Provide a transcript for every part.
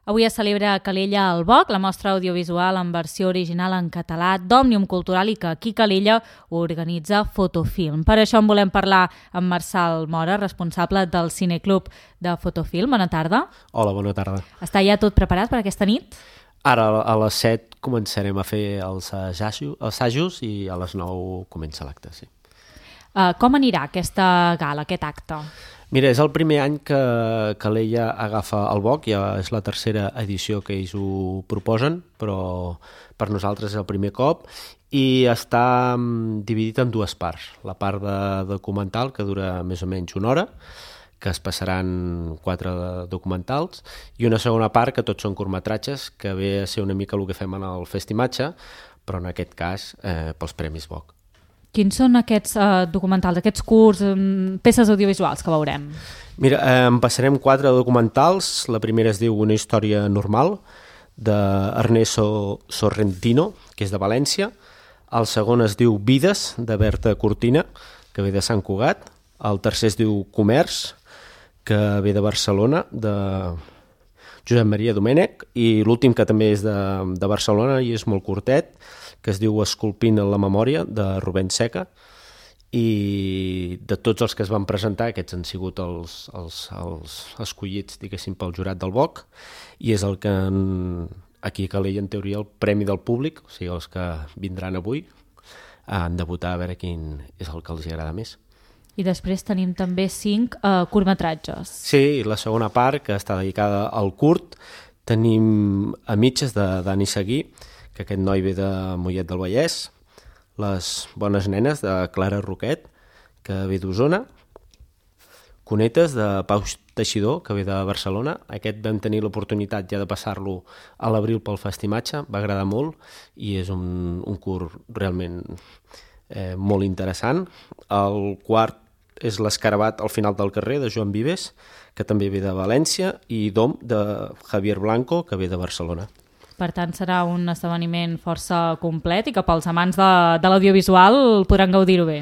Avui es celebra a Calella al Boc, la mostra audiovisual en versió original en català d'Òmnium Cultural i que aquí Calella organitza Fotofilm. Per això en volem parlar amb Marçal Mora, responsable del Cineclub de Fotofilm. Bona tarda. Hola, bona tarda. Està ja tot preparat per aquesta nit? Ara a les 7 començarem a fer els assajos i a les 9 comença l'acte, sí. Com anirà aquesta gala, aquest acte? Mira, és el primer any que Calella agafa el Boc, ja és la tercera edició que ells ho proposen, però per nosaltres és el primer cop, i està dividit en dues parts. La part de documental, que dura més o menys una hora, que es passaran 4 documentals, i una segona part, que tots són curtmetratges, que ve a ser una mica el que fem en el Festimatge, però en aquest cas pels Premis Boc. Quins són aquests documentals, aquests curts, peces audiovisuals que veurem? Mira, en passarem 4 documentals. La primera es diu Una història normal, d'Ernesto Sorrentino, que és de València. El segon es diu Vides, de Berta Cortina, que ve de Sant Cugat. El tercer es diu Comerç, que ve de Barcelona, de Josep Maria Domènech. I l'últim, que també és de Barcelona i és molt curtet, que es diu Esculpint en la memòria, de Rubén Seca, i de tots els que es van presentar, aquests han sigut els escollits, diguéssim, pel jurat del Boc, i és el que aquí a Calella, en teoria, el premi del públic, o sigui, els que vindran avui, han de votar a veure quin és el que els agrada més. I després tenim també 5 curtmetratges. Sí, la segona part, que està dedicada al curt, tenim A mitges, de Dani Seguí, que aquest noi ve de Mollet del Vallès, Les bones nenes, de Clara Roquet, que ve d'Osona, Conetes, de Pau Teixidor, que ve de Barcelona. Aquest vam tenir l'oportunitat ja de passar-lo a l'abril pel Festimatge, va agradar molt i és un curt realment molt interessant. El quart és L'Escarabat al final del carrer, de Joan Vives, que també ve de València, i Dom, de Javier Blanco, que ve de Barcelona. Per tant, serà un esdeveniment força complet i que pels amants de l'audiovisual podran gaudir-ho bé.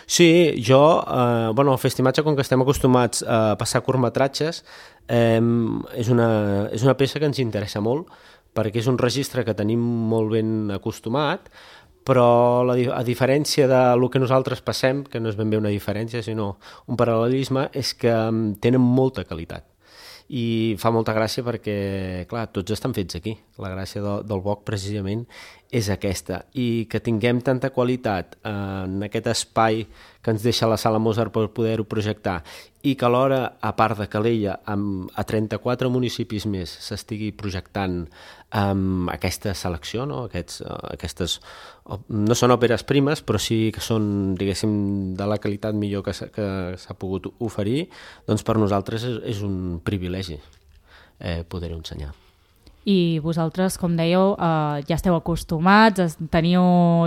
Sí, jo, al Festimatge, com que estem acostumats a passar curtmetratges, és una peça que ens interessa molt, perquè és un registre que tenim molt ben acostumat, però a diferència del que nosaltres passem, que no és ben bé una diferència, sinó un paral·lelisme, és que tenen molta qualitat. I fa molta gràcia perquè, clar, tots estan fets aquí. La gràcia del Boc, precisament, és aquesta. I que tinguem tanta qualitat en aquest espai que ens deixa la Sala Mozart per poder-ho projectar i que alhora, a part de Calella, a 34 municipis més s'estigui projectant aquesta selecció, no? Aquestes no són òperes primes, però sí que són, diguéssim, de la qualitat millor que s'ha pogut oferir, doncs per nosaltres és un privilegi poder-ho ensenyar. I vosaltres, com dèieu, ja esteu acostumats, teniu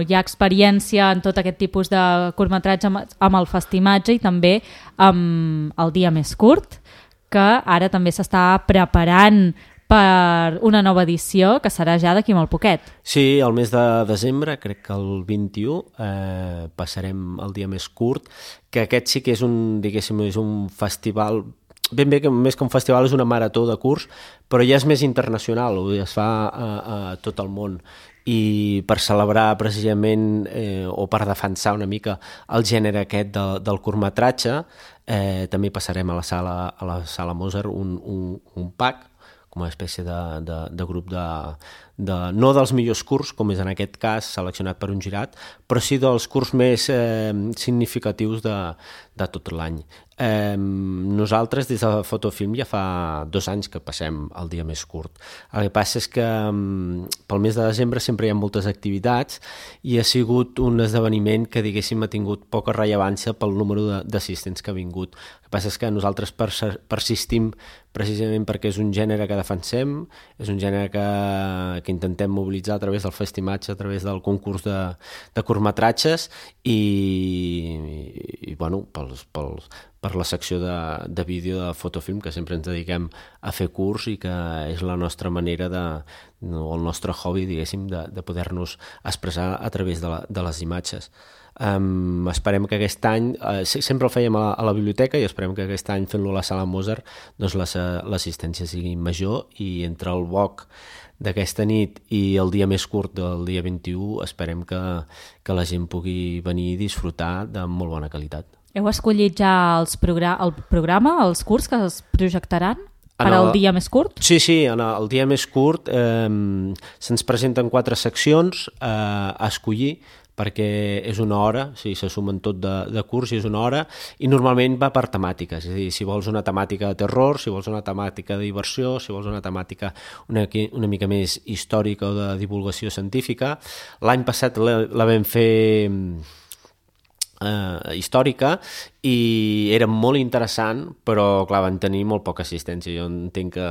ja experiència en tot aquest tipus de curtmetratge amb el Festimatge i també amb el Dia Més Curt, que ara també s'està preparant per una nova edició que serà ja d'aquí molt poquet. Sí, el mes de desembre, crec que el 21, passarem el Dia Més Curt, que aquest sí que és un festival, ben bé que més que un festival és una marató de curts, però ja és més internacional, es fa a tot el món, i per celebrar precisament o per defensar una mica el gènere aquest del curtmetratge, també passarem a la Sala Mozart un pack, com una espècie de grup no dels millors curts, com és en aquest cas seleccionat per un jurat, però sí dels curts més significatius de tot l'any. Nosaltres des de Fotofilm ja fa 2 anys que passem el Dia Més Curt. El que passa és que pel mes de desembre sempre hi ha moltes activitats i ha sigut un esdeveniment que, diguéssim, ha tingut poca rellevància pel número d'assistents que ha vingut. El que passa és que nosaltres persistim precisament perquè és un gènere que defensem, és un gènere que intentem mobilitzar a través del Festimatge, a través del concurs de curtmetratges i bueno, per la secció de vídeo de fotofilm, que sempre ens dediquem a fer curs i que és la nostra manera o el nostre hobby, diguéssim, de poder-nos expressar a través de les imatges. Esperem que aquest any, sempre el fèiem a la biblioteca, i esperem que aquest any, fent-lo a la Sala Mozart, doncs l'assistència sigui major, i entre el BOC d'aquesta nit i el dia més curt del dia 21 esperem que la gent pugui venir i disfrutar de molt bona qualitat. Heu escollit ja el programa, els curts que es projectaran per al dia més curt? Sí, en el dia més curt se'ns presenten 4 seccions a escollir, perquè és una hora, se sumen tot de curs i és una hora, i normalment va per temàtiques, és a dir, si vols una temàtica de terror, si vols una temàtica de diversió, si vols una temàtica una mica més històrica o de divulgació científica. L'any passat la vam fer històrica i era molt interessant, però clar, van tenir molt poca assistència. Jo entenc que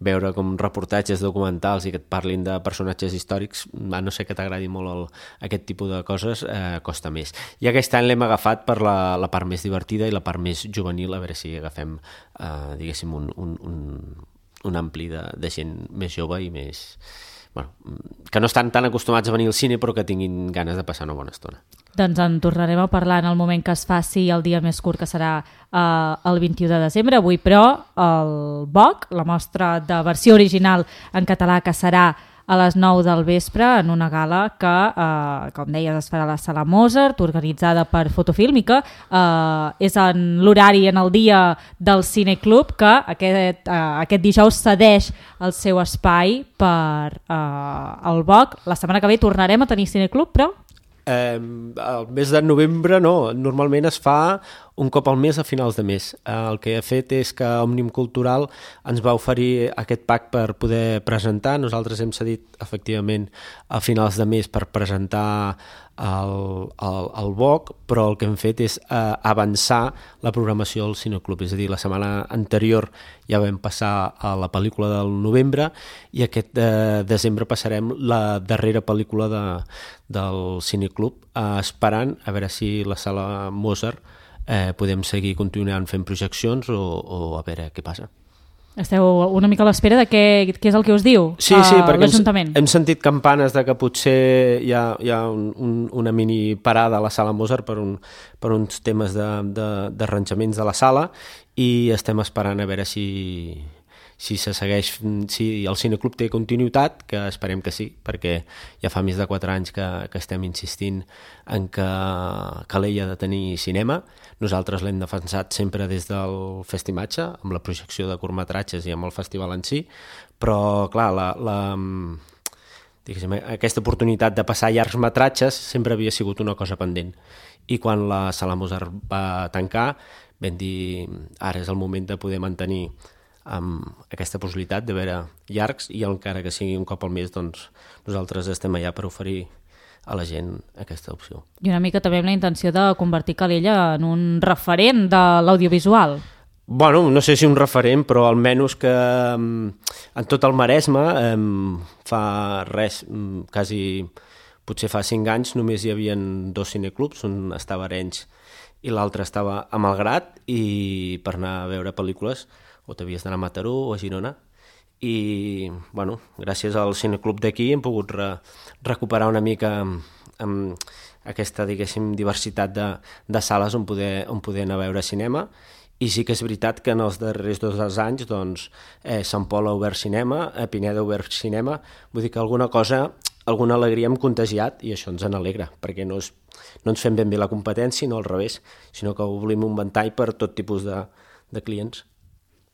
veure com reportatges documentals i que et parlin de personatges històrics, a no ser que t'agradi molt aquest tipus de coses, costa més. I aquest any l'hem agafat per la part més divertida i la part més juvenil, a veure si agafem diguéssim un ampli de gent més jove i més... que no estan tan acostumats a venir al cine però que tinguin ganes de passar una bona estona. Doncs en tornarem a parlar en el moment que es faci el dia més curt, que serà el 21 de desembre. Avui, però, el BOC, la mostra de versió original en català, que serà a les 9 del vespre en una gala que, com deies, es farà a la Sala Mozart, organitzada per Fotofilm, i que és en l'horari, en el dia del Cineclub, que aquest dijous cedeix el seu espai per al BOC. La setmana que ve tornarem a tenir Cineclub, però... El mes de novembre no, normalment es fa un cop al mes a finals de mes. El que ha fet és que Òmnium Cultural ens va oferir aquest pack per poder presentar. Nosaltres hem cedit efectivament a finals de mes per presentar el BOC, però el que hem fet és avançar la programació del Cineclub. És a dir, la setmana anterior ja vam passar a la pel·lícula del novembre i aquest desembre passarem la darrera pel·lícula del Cineclub, esperant a veure si la Sala Mozart podem seguir continuant fent projeccions o a veure què passa. Esteu una mica a l'espera de què és el que us diu l'Ajuntament? Hem sentit campanes de que potser hi ha una mini parada a la Sala Mozart per uns temes d'arranjaments de la sala, i estem esperant a veure si se segueix, si el Cineclub té continuïtat, que esperem que sí, perquè ja fa més de 4 anys que estem insistint en que Calella ha de tenir cinema. Nosaltres l'hem defensat sempre des del Festimatge, amb la projecció de curtmetratges i amb el festival en si, però clar, aquesta oportunitat de passar llargs metratges sempre havia sigut una cosa pendent, i quan la Sala Mozart va tancar vam dir ara és el moment de poder mantenir amb aquesta possibilitat de veure llargs, i encara que sigui un cop al mes, doncs nosaltres estem allà per oferir a la gent aquesta opció. I una mica també amb la intenció de convertir Calella en un referent de l'audiovisual. Bueno, no sé si un referent, però almenys que en tot el Maresme fa res, quasi potser fa 5 anys només hi havia 2 cineclubs, un estava a Arenys i l'altre estava a Malgrat, i per anar a veure pel·lícules o t'havies d'anar a Mataró o a Girona, i bueno, gràcies al Cineclub d'aquí hem pogut recuperar una mica aquesta, diguéssim, diversitat de sales on poder anar a veure cinema. I sí que és veritat que en els darrers 2 anys doncs, Sant Pol ha obert cinema, Pineda ha obert cinema, vull dir que alguna alegria hem contagiat, i això ens n'alegra, perquè no ens fem ben bé la competència, no al revés, sinó que obrim un ventall per tot tipus de clients.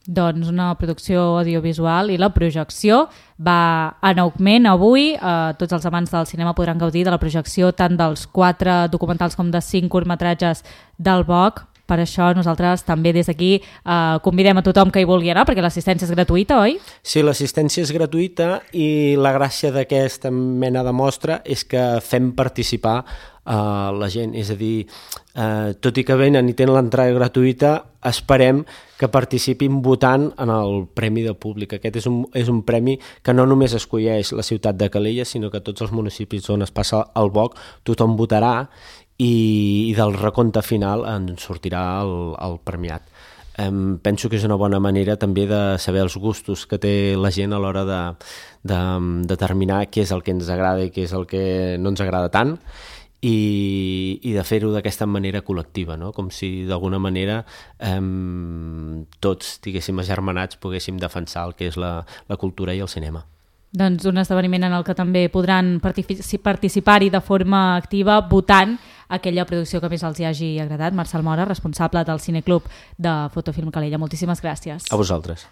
Doncs una producció audiovisual, i la projecció va en augment avui. Tots els amants del cinema podran gaudir de la projecció tant dels 4 documentals com de 5 curtmetratges del BOC. Per això nosaltres també des d'aquí convidem a tothom que hi vulgui anar, perquè l'assistència és gratuïta, oi? Sí, l'assistència és gratuïta, i la gràcia d'aquesta mena de mostra és que fem participar la gent, és a dir, tot i que venen i tenen l'entrada gratuïta, esperem que participin votant en el Premi de Públic. Aquest és un premi que no només escolleix la ciutat de Calella, sinó que tots els municipis on es passa el BOC tothom votarà, i del recompte final en sortirà el premiat. Penso que és una bona manera també de saber els gustos que té la gent a l'hora de determinar què és el que ens agrada i què és el que no ens agrada tant, i de fer-ho d'aquesta manera col·lectiva, no? Com si d'alguna manera tots, diguéssim, agermanats poguéssim defensar el que és la cultura i el cinema. Doncs un esdeveniment en el que també podran participar-hi de forma activa votant aquella producció que més els hi hagi agradat. Marcel Mora, responsable del Cineclub de Fotofilm Calella. Moltíssimes gràcies. A vosaltres.